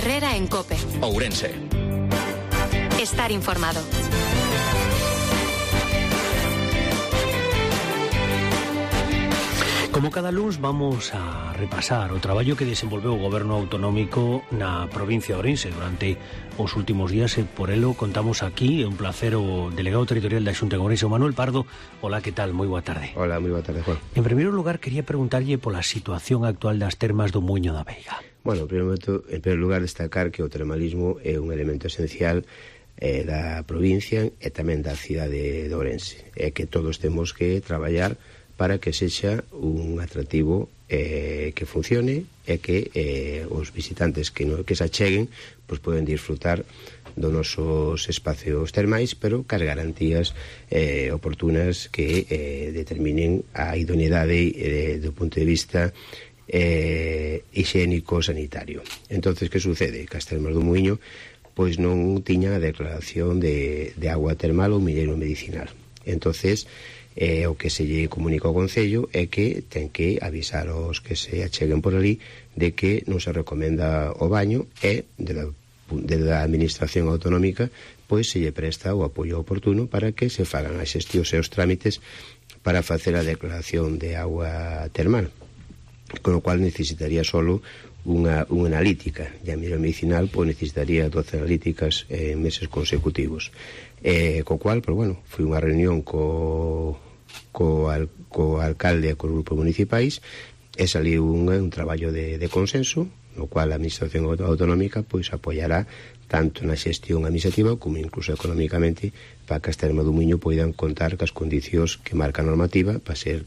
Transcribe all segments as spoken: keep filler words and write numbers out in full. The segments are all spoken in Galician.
Herrera en COPE. Ourense. Estar informado. Como cada luns vamos a repasar o traballo que desenvolveu o Goberno Autonómico na provincia de Ourense durante os últimos días e por elo contamos aquí, é un placer, o delegado territorial da Xunta de Ourense, o Manuel Pardo. Hola, que tal? Moi boa tarde. Hola, moi boa tarde, Juan. En primeiro lugar, quería preguntarlle pola situación actual das termas do Muiño da Veiga. Bueno, en primeiro, momento, en primeiro lugar, destacar que o termalismo é un elemento esencial eh, da provincia e tamén da cidade de Ourense, e que todos temos que traballar para que sexa un atractivo eh, que funcione e que eh, os visitantes que, no, que se acheguen pues, poden disfrutar dos nosos espacios termais, pero cas garantías eh, oportunas que eh, determinen a idoneidade eh, do punto de vista eh, higiénico-sanitario. Entonces, que sucede? Que as termas do Muiño pois non tiñan a declaración de, de agua termal ou milleiro medicinal. Entonces, Eh, o que se lle comunica ao Concello é que ten que avisar aos que se acheguen por ali de que non se recomenda o baño e de la, de la Administración Autonómica pois se lle presta o apoio oportuno para que se fagan as xestións e os trámites para facer a declaración de agua termal, con o cual necesitaría solo unha, unha analítica, e a mira medicinal pois necesitaría doce analíticas en meses consecutivos. Eh, co cual, pues, bueno, foi unha reunión co, co, al, co alcalde e co grupo municipais e saliu un, un traballo de, de consenso, no cual a Administración Autonómica pois apoiará tanto na xestión administrativa como incluso económicamente para que as termas do Muiño poidan contar cas condicións que marca a normativa para ser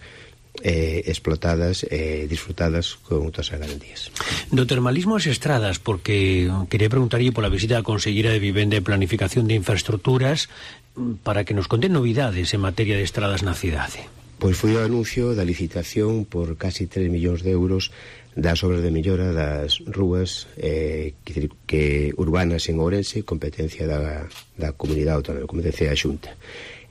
Eh, explotadas e eh, disfrutadas con todas as garantías. Do termalismo ás estradas, porque quería preguntarlle pola visita da Conselleira de Vivenda e Planificación de Infraestructuras para que nos conten novidades en materia de estradas na cidade. Pois foi o anuncio da licitación por casi tres millóns de euros das obras de mellora das rúas eh, que, que urbanas en Ourense, competencia da, da comunidade autónoma, competencia da Xunta.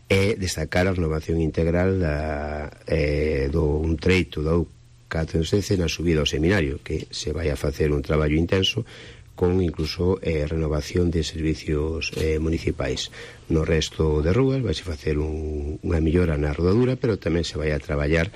E destacar a renovación integral da, eh, do un treito do catro sece na subida ao seminario, que se vai a facer un traballo intenso con incluso eh, renovación de servicios eh, municipais. No resto de rúas vai se facer un, unha mellora na rodadura, pero tamén se vai a traballar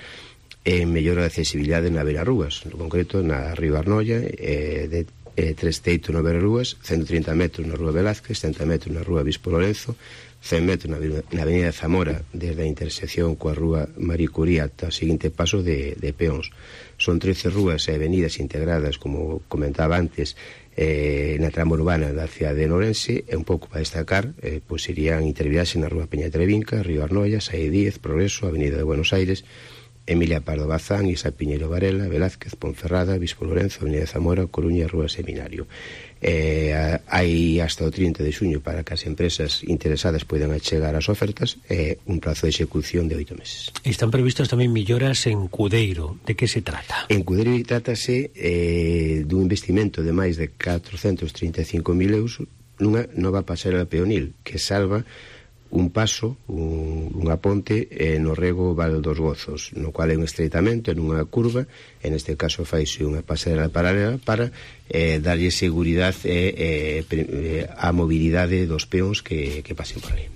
en mellora de accesibilidade na beira rúas, no concreto na Río Arnoia, eh, de eh, tres teitos na beira rúas, ciento trinta metros na Rúa Velázquez, setenta metros na Rúa Bispo Lorenzo, cen metros na, na Avenida de Zamora, desde a intersección coa Rúa Marie Curie ata o seguinte paso de, de peóns. Son trece rúas e avenidas integradas, como comentaba antes, eh, na trama urbana da cidade de Ourense, e un pouco para destacar, eh, pois irían intervirase na Rúa Peña Trevinca, Río Arnoia, Saí Díez, Progreso, Avenida de Buenos Aires, Emilia Pardo Bazán, Isa Piñeiro Varela, Velázquez, Ponferrada, Bispo Lorenzo, Avenida de Zamora, Coruña, Rúa Seminario. Eh, hai hasta o trinta de xuño para que as empresas interesadas poidan achegar as ofertas e eh, un prazo de execución de oito meses. Están previstas tamén melloras en Cudeiro. De que se trata? En Cudeiro trátase eh, dun investimento de máis de catrocentos trinta e cinco mil euros nunha nova pasarela peonil que salva un paso, un, unha ponte eh, no rego Val dos Gozos, no cual é un estreitamento en unha curva, en este caso faise unha pasarela paralela para eh, darlle seguridade e eh, a mobilidade dos peóns que, que pasen por ali.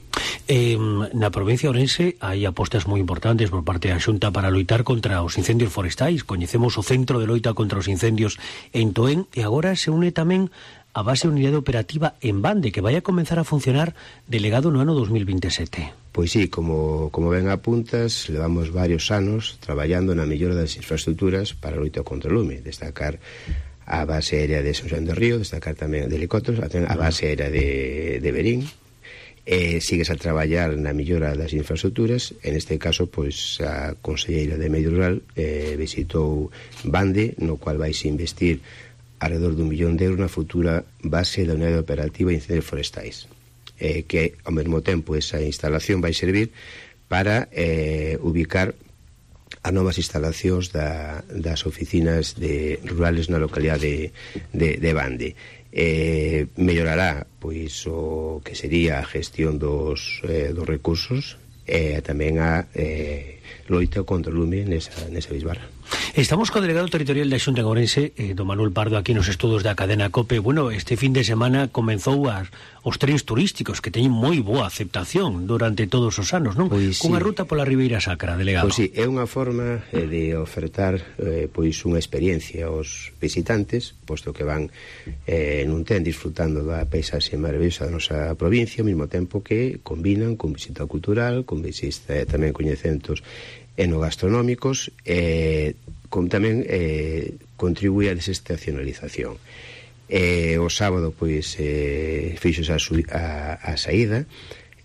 Eh, na provincia de Ourense hai apostas moi importantes por parte da Xunta para loitar contra os incendios forestais. Coñecemos o Centro de Loita contra os Incendios en Toén e agora se une tamén a base de unidade operativa en Bande, que vai a comenzar a funcionar delegado no ano dos mil veintesete. Pois sí, como, como ben apuntas, levamos varios anos traballando na mellora das infraestructuras para a loita contra o lume. Destacar a base aérea de São Xoán do Río, destacar tamén de helicópteros, a base aérea de, de Berín. Eh, sigues a traballar na mellora das infraestructuras. En este caso, pois, a Conselleira de Medio Rural eh, visitou Bande, no cual vais investir alrededor dun millón de euros na futura base da unidade operativa de incendios forestais, eh, que ao mesmo tempo esa instalación vai servir para eh, ubicar as novas instalacións da, das oficinas de, rurales na localidade de, de, de Bande. Eh, mellorará pois o que sería a gestión dos, eh, dos recursos e eh, tamén a eh, loita contra o lume nesa, nesa bisbarra. Estamos co delegado territorial da Xunta de Ourense, eh, don Manuel Pardo, aquí nos estudos da cadena COPE. Bueno, este fin de semana comenzou as, os trens turísticos que teñen moi boa aceptación durante todos os anos, non? Pois Cunha sí. ruta pola Ribeira Sacra, delegado. Pois sí, é unha forma eh, de ofertar eh, pois unha experiencia aos visitantes, posto que van eh, nun tren disfrutando da paisaxe maravillosa da nosa provincia, ao mesmo tempo que combinan con visita cultural, con visita eh, tamén coñecementos enogastronómicos, eh, como tamén eh, contribúe a desestacionalización. Eh, o sábado, pois, eh, fixos a, a, a saída,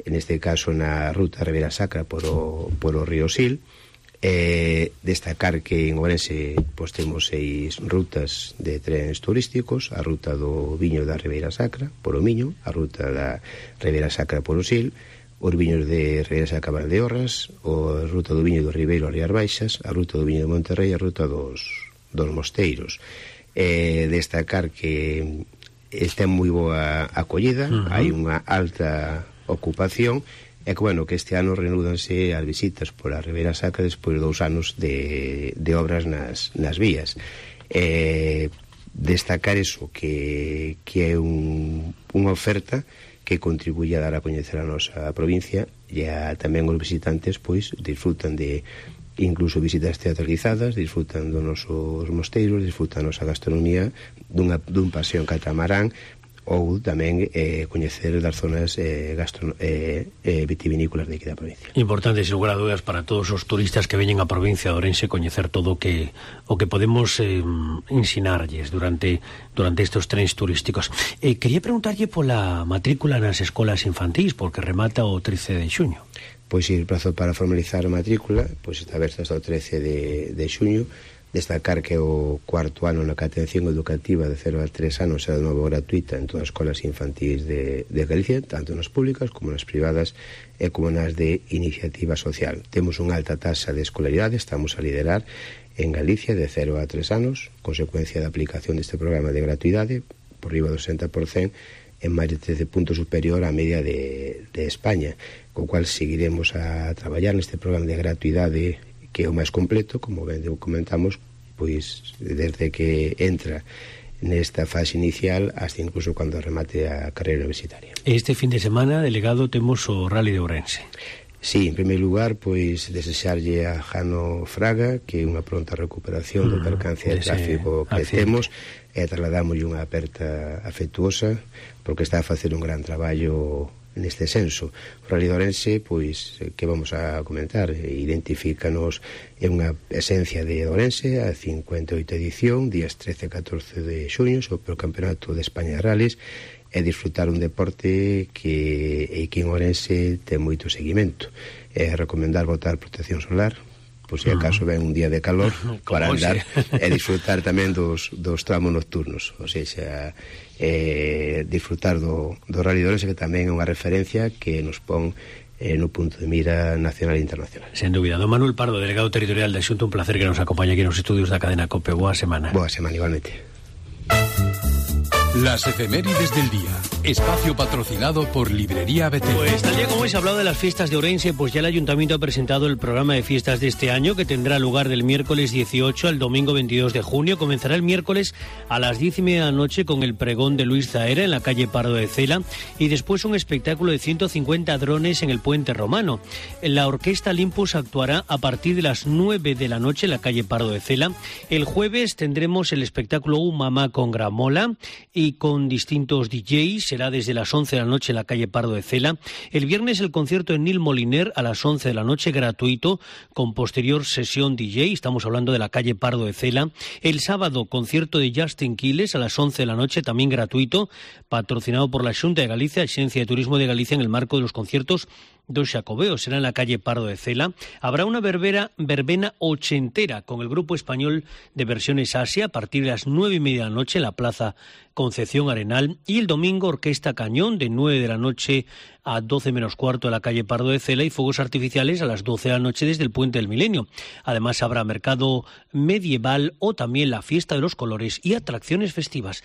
neste caso na ruta Ribeira Sacra por o, por o río Sil. Eh, destacar que en Ourense pois, temos seis rutas de trens turísticos: a ruta do viño da Ribeira Sacra por o Miño, a ruta da Ribeira Sacra por o Sil, os viños de Ribeira Sacra Valdeorras, a ruta do viño do Ribeiro a Rías Baixas, a ruta do viño de Monterrey e a ruta dos, dos Mosteiros. Eh, destacar que está moi boa acollida, uh-huh. Hai unha alta ocupación, e que, bueno, que este ano renúdanse as visitas por a Ribeira Sacra despois de dous anos de, de obras nas, nas vías. Eh, destacar eso, que, que é un, unha oferta que contribuye a dar a coñecer a nosa provincia, e a, tamén os visitantes pois disfrutan de incluso visitas teatralizadas, disfrutan dos nosos mosteiros, disfrutan da nosa gastronomía, dunha, dun paseo en catamarán, ou tamén eh, coñecer das zonas eh, gastro, eh, eh, vitivinícolas de aquí da provincia. Importante, sin lugar a dúdas, para todos os turistas que veñen á provincia de Ourense, coñecer todo o que o que podemos eh, ensinarlles durante durante estes trens turísticos. Eh, quería preguntarlle pola matrícula nas escolas infantís, porque remata o trece de xuño. Pois si, o prazo para formalizar a matrícula pois está aberto hasta o trece de, de xuño. Destacar que o cuarto ano na atención educativa de cero a tres anos é de novo gratuita en todas as escolas infantís de, de Galicia, tanto nas públicas como nas privadas e como nas de iniciativa social. Temos unha alta taxa de escolaridade, estamos a liderar en Galicia de cero a tres anos, consecuencia da aplicación deste programa de gratuidade por riba do sesenta por cento, en máis de trece puntos superior á media de, de España, co cual seguiremos a traballar neste programa de gratuidade, que é o máis completo, como ben comentamos, pois desde que entra nesta fase inicial hasta incluso cando remate a carreira universitaria. Este fin de semana, delegado, temos o Rally de Ourense. Sí, en primeiro lugar, pois desexarlle a Jano Fraga que unha pronta recuperación mm, do percance de tráfico que accidente. Temos, e trasladamos unha aperta afectuosa, porque está a facer un gran traballo neste senso. O Rally de Ourense, pois, que vamos a comentar, identifícanos en unha esencia de Ourense, a cincuenta e oito edición, días trece e catorce de xuño, sobre o Campeonato de España de Rallys, e disfrutar un deporte que, que en Ourense ten moito seguimento. É recomendar botar protección solar, pois se acaso ven un día de calor, para andar e disfrutar tamén dos, dos tramos nocturnos, ou seja, eh, disfrutar do, do Rally de Ourense, que tamén é unha referencia que nos pon eh, no punto de mira nacional e internacional. Sen dúbida. Don Manuel Pardo, delegado territorial da Xunta, un placer que nos acompañe aquí nos estudios da cadena COPE. Boa semana. Boa semana, igualmente. Las efemérides del día. Espacio patrocinado por Librería Betel. Pues tal día como hoy se ha hablado de las fiestas de Ourense, pues ya el Ayuntamiento ha presentado el programa de fiestas de este año, que tendrá lugar del miércoles dieciocho al domingo veintidós de junio. Comenzará el miércoles a las diez y media de la noche con el pregón de Luis Zaera en la calle Pardo de Cela, y después un espectáculo de ciento cincuenta drones en el Puente Romano. La Orquesta Olympus actuará a partir de las nueve de la noche en la calle Pardo de Cela. El jueves tendremos el espectáculo Un Mamá con Gramola y con distintos D Js, será desde las once de la noche en la calle Pardo de Cela. El viernes el concierto de Nil Moliner a las once de la noche, gratuito, con posterior sesión D J, estamos hablando de la calle Pardo de Cela. El sábado, concierto de Justin Quiles a las once de la noche, también gratuito, patrocinado por la Xunta de Galicia, Agencia de Turismo de Galicia, en el marco de los conciertos dos Xacobeos, será en la calle Pardo de Cela. Habrá una verbena, verbena ochentera con el grupo español de Versiones Asia a partir de las nueve y media de la noche en la Plaza Concepción Arenal, y el domingo Orquesta Cañón de nueve de la noche a doce menos cuarto en la calle Pardo de Cela, y fuegos artificiales a las doce de la noche desde el Puente del Milenio. Además habrá mercado medieval o también la Fiesta de los Colores y atracciones festivas.